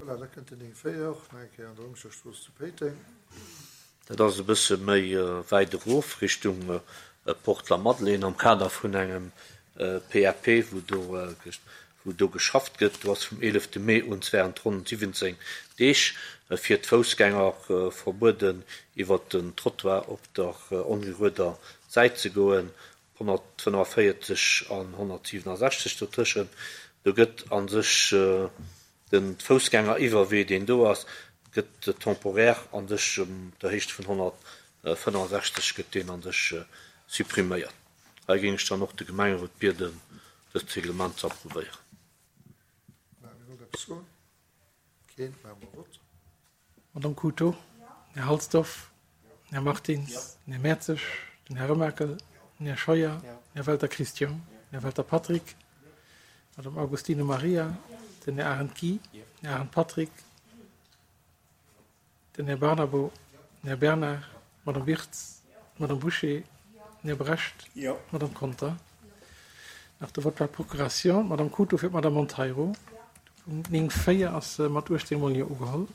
Voilà, da kënnt den 9,4 och nach eng Kéier an der Wëncherstrooss zu Péiteng. Dat ass e bësse méi wäit erof, Richtung Porte Lamadelaine, am Kader vun engem PAP, wou do, wou do geschafft gëtt. Do ass vum 11 Mee un während ronn 17 Deeg fir d'Foussgänger verbueden, iwwert den Trottoir op der ongerueder Säit ze goen. 145 an 167 dotëschent. Do gëtt a sech de Foussgängeriwwerwee, deen do ass, gëtt temporaire a sech um der Héicht vun 165 gëtt deen a sech suppriméiert. Hei géing ech dann och de Gemengerot bieden, dëst Reglement ze approuvéieren. Wie wollt eppes soen? Keen? Maache mer Vott. Madame Couto, Här Halsdorf, Här Martins, Här Mertzig, den Här Remakel, den Här Scheuer, Här Welter Christian, Här Welter Patrick, Madame Augustino Maria, den Här Arendt Guy, Här Arendt Patrick, den Här Barnabo, den Här Bernard, Madame Wirtz, Madame Bouché, den Här Brecht, Madame Conter. Nach de Vote par procuration, d'Madame Couto fir d'Madame Monteiro. De Punkt 9, 4 ass mat 18 mol Jo ugeholl.